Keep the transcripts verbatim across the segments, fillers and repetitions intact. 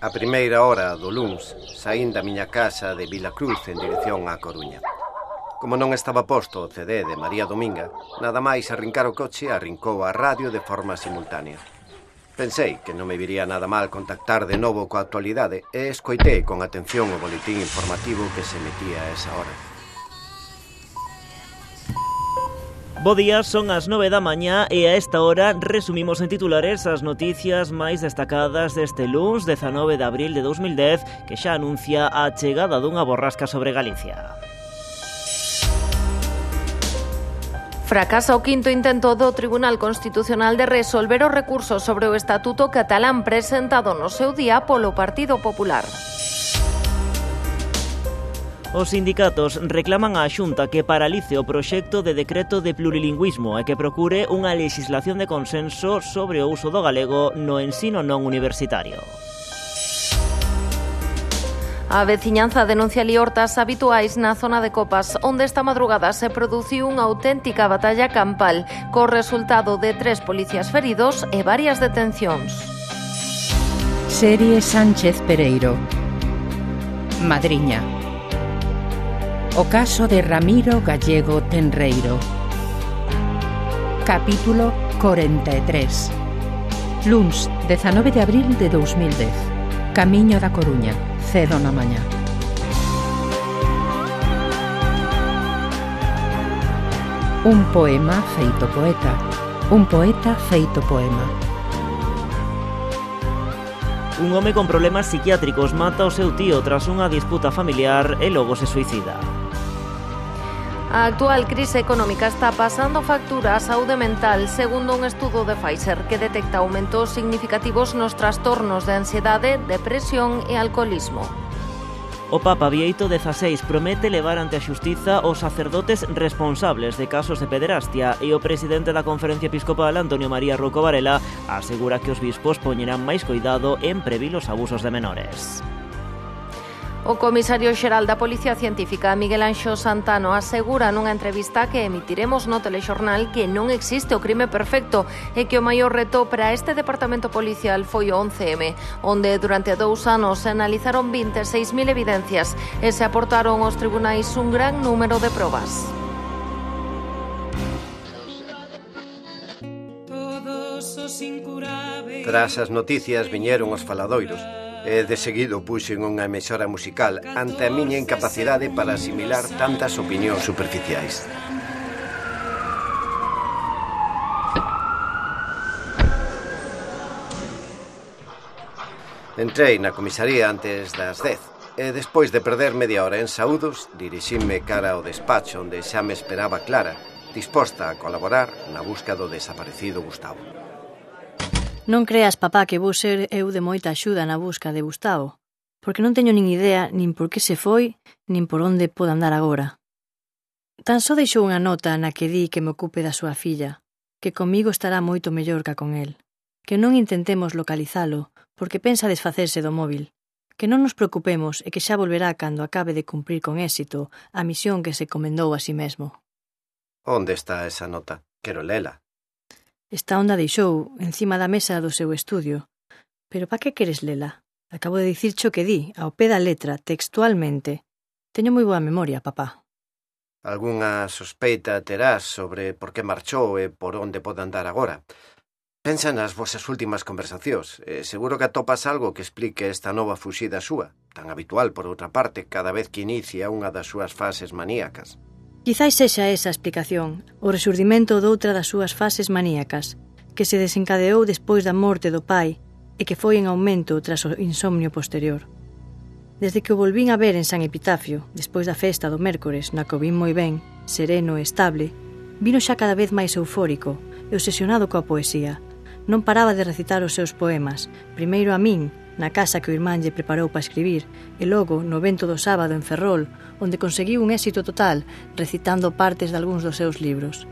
A primeira hora do luns saín da miña casa de Vilacruz en dirección á Coruña. Como non estaba posto o C D de María Dominga, nada máis arrincar o coche arrincou a radio de forma simultánea. Pensei que non me viría nada mal contactar de novo coa actualidade e escoitei con atención o boletín informativo que se metía a esa hora. Bo día, son as nove da mañá e a esta hora resumimos en titulares as noticias máis destacadas deste luns dezanove de abril de dous mil dez, que xa anuncia a chegada dunha borrasca sobre Galicia. Fracasa o quinto intento do Tribunal Constitucional de resolver os recursos sobre o Estatuto catalán presentado no seu día polo Partido Popular. Os sindicatos reclaman á Xunta que paralice o proxecto de decreto de plurilingüismo e que procure unha legislación de consenso sobre o uso do galego no ensino non universitario. A veciñanza denuncia liortas habituais na zona de Copas, onde esta madrugada se produciu unha auténtica batalla campal, co resultado de tres policías feridos e varias detencións. Serie Sánchez Pereiro. Madriña. O caso de Ramiro Gallego Tenreiro. Capítulo corenta e tres. Luns, dezanove de abril de dous mil dez. Camiño da Coruña, cedo na mañá. Un poema feito poeta. Un poeta feito poema. Un home con problemas psiquiátricos mata o seu tío tras unha disputa familiar e logo se suicida. A actual crise económica está pasando factura á saúde mental, segundo un estudo de Pfizer que detecta aumentos significativos nos trastornos de ansiedade, depresión e alcoholismo. O Papa Bieito dezasseis promete levar ante a xustiza os sacerdotes responsables de casos de pederastia e o presidente da Conferencia Episcopal, Antonio María Rouco Varela, asegura que os bispos poñerán máis coidado en previr os abusos de menores. O comisario xeral da Policía Científica, Miguel Anxo Santano, asegura nunha entrevista que emitiremos no telexornal que non existe o crime perfecto e que o maior reto para este departamento policial foi o once eme, onde durante dous anos se analizaron vinte e seis mil evidencias e se aportaron aos tribunais un gran número de probas. Tras as noticias viñeron os faladoiros e de seguido puxen unha emisora musical ante a miña incapacidade para asimilar tantas opinións superficiais. Entrei na comisaría antes das dez e despois de perder media hora en saúdos dirixinme cara ao despacho onde xa me esperaba Clara, disposta a colaborar na busca do desaparecido Gustavo. Non creas, papá, que vou ser eu de moita axuda na busca de Gustavo, porque non teño nin idea nin por que se foi, nin por onde pode andar agora. Tan só deixou unha nota na que di que me ocupe da súa filla, que comigo estará moito mellor ca con el, que non intentemos localizalo, porque pensa desfacerse do móvil, que non nos preocupemos e que xa volverá cando acabe de cumprir con éxito a misión que se comendou a si mesmo. Onde está esa nota? Quero lela. Está onde a deixou, encima da mesa do seu estudio. Pero pa que queres lela? Acabo de dicircho que di, ao pé da letra, textualmente. Teño moi boa memoria, papá. Algúnha sospeita terás sobre por que marchou e por onde pode andar agora? Pensa nas vosas últimas conversacións. E seguro que atopas algo que explique esta nova fuxida súa, tan habitual, por outra parte, cada vez que inicia unha das súas fases maníacas. Quizais sexa esa a explicación, o resurdimento doutra das súas fases maníacas, que se desencadeou despois da morte do pai e que foi en aumento tras o insomnio posterior. Desde que o volvín a ver en San Epitafio, despois da festa do mércores, na que o vin moi ben, sereno e estable, vino xa cada vez máis eufórico e obsesionado coa poesía. Non paraba de recitar os seus poemas, primeiro a min, na casa que o irmán lle preparou para escribir, e logo no evento do sábado en Ferrol, onde conseguiu un éxito total recitando partes de algúns dos seus libros.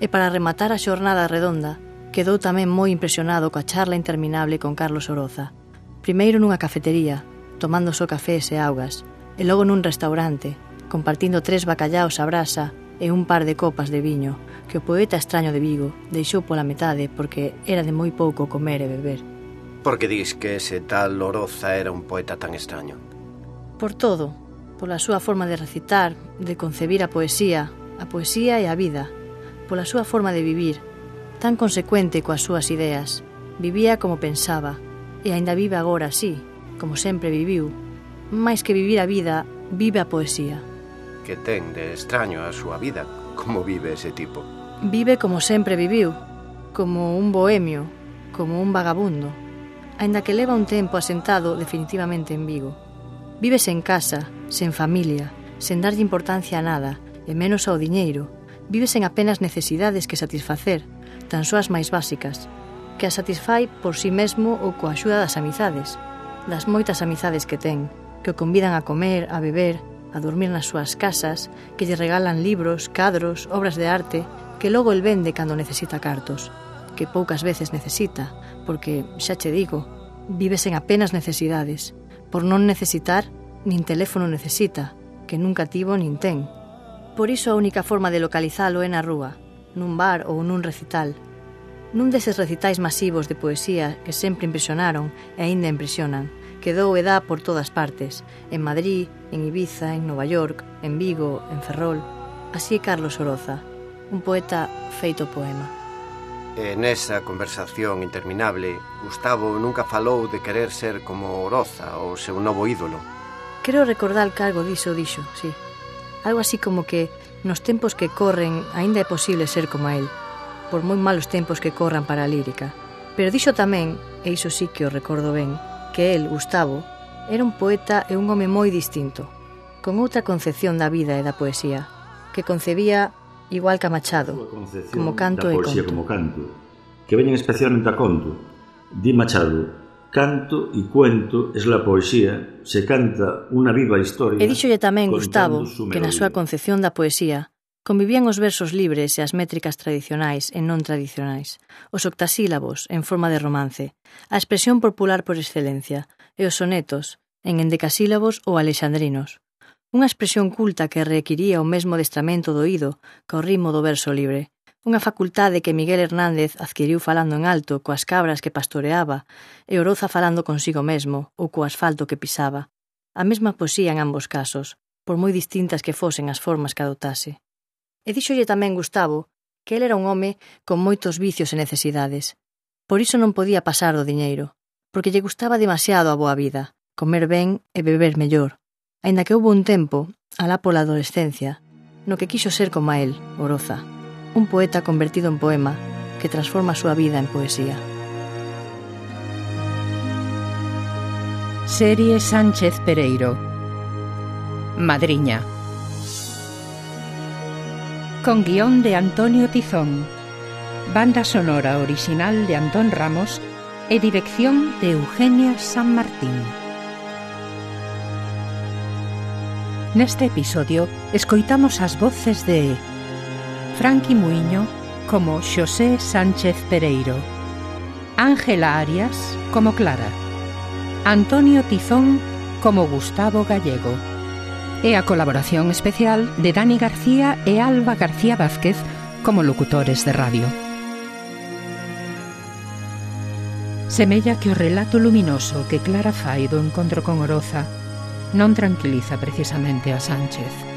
E para rematar a xornada redonda, quedou tamén moi impresionado coa charla interminable con Carlos Oroza. Primeiro nunha cafetería, tomando só cafés e augas, e logo nun restaurante, compartindo tres bacallaos a brasa e un par de copas de viño, que o poeta extraño de Vigo deixou pola metade porque era de moi pouco comer e beber. Por que dis que ese tal Oroza era un poeta tan extraño? Por todo, pola súa forma de recitar, de concebir a poesía, a poesía e a vida, pola súa forma de vivir, tan consecuente coas súas ideas. Vivía como pensaba, e aínda vive agora así, como sempre viviu. Mais que vivir a vida, vive a poesía. Que ten de extraño a súa vida? Como vive ese tipo? Vive como sempre viviu, como un bohemio, como un vagabundo, aínda que leva un tempo asentado definitivamente en Vigo. Vive sen casa, sen familia, sen darlle importancia a nada, e menos ao diñeiro. Vive sen apenas necesidades que satisfacer, tan só as máis básicas, que as satisfai por si mesmo ou coa axuda das amizades, das moitas amizades que ten, que o convidan a comer, a beber, a dormir nas súas casas, que lle regalan libros, cadros, obras de arte, que logo el vende cando necesita cartos, que poucas veces necesita, porque, xa che digo, vive sen apenas necesidades, por non necesitar, nin teléfono necesita, que nunca tivo nin ten. Por iso a única forma de localizalo é na rúa, nun bar ou nun recital, nun deses recitais masivos de poesía que sempre impresionaron e aínda impresionan, que dou e dá por todas partes, en Madrid, en Ibiza, en Nova York, en Vigo, en Ferrol. Así é Carlos Oroza, un poeta feito poema. E nesa conversación interminable, Gustavo nunca falou de querer ser como Oroza, o seu novo ídolo. Quero recordar que algo diso dixo, sí. Algo así como que nos tempos que corren aínda é posible ser como él, por moi malos tempos que corran para a lírica. Pero dixo tamén, e iso sí que o recordo ben, que el, Gustavo, era un poeta e un home moi distinto, con outra concepción da vida e da poesía, que concebía igual que a Machado, como canto e conto. Como canto, que veñen especialmente a conto. Di Machado, canto e cuento es la poesía, se canta unha viva historia. E díxolle tamén Gustavo que na súa concepción da poesía convivían os versos libres e as métricas tradicionais e non tradicionais, os octasílabos en forma de romance, a expresión popular por excelencia, e os sonetos en endecasílabos ou alexandrinos. Unha expresión culta que requiría o mesmo adestramento do oído que o ritmo do verso libre, unha facultade que Miguel Hernández adquiriu falando en alto coas cabras que pastoreaba e Oroza falando consigo mesmo ou co asfalto que pisaba. A mesma poesía en ambos casos, por moi distintas que fosen as formas que adoptase. E díxolle tamén Gustavo que el era un home con moitos vicios e necesidades. Por iso non podía pasar do diñeiro, porque lle gustaba demasiado a boa vida, comer ben e beber mellor. Aínda que houbo un tempo, alá pola adolescencia, no que quixo ser como a él, Oroza, un poeta convertido en poema que transforma a súa vida en poesía. Serie Sánchez Pereiro. Madriña. Con guión de Antonio Tizón, banda sonora original de Antón Ramos e dirección de Eugenia San Martín. Neste episodio escoitamos as voces de Franqui Muiño como Xosé Sánchez Pereiro, Ángela Arias como Clara, Antonio Tizón como Gustavo Gallego e a colaboración especial de Dani García e Alba García Vázquez como locutores de radio. Semella que o relato luminoso que Clara fai do encontro con Oroza non tranquiliza precisamente a Sánchez.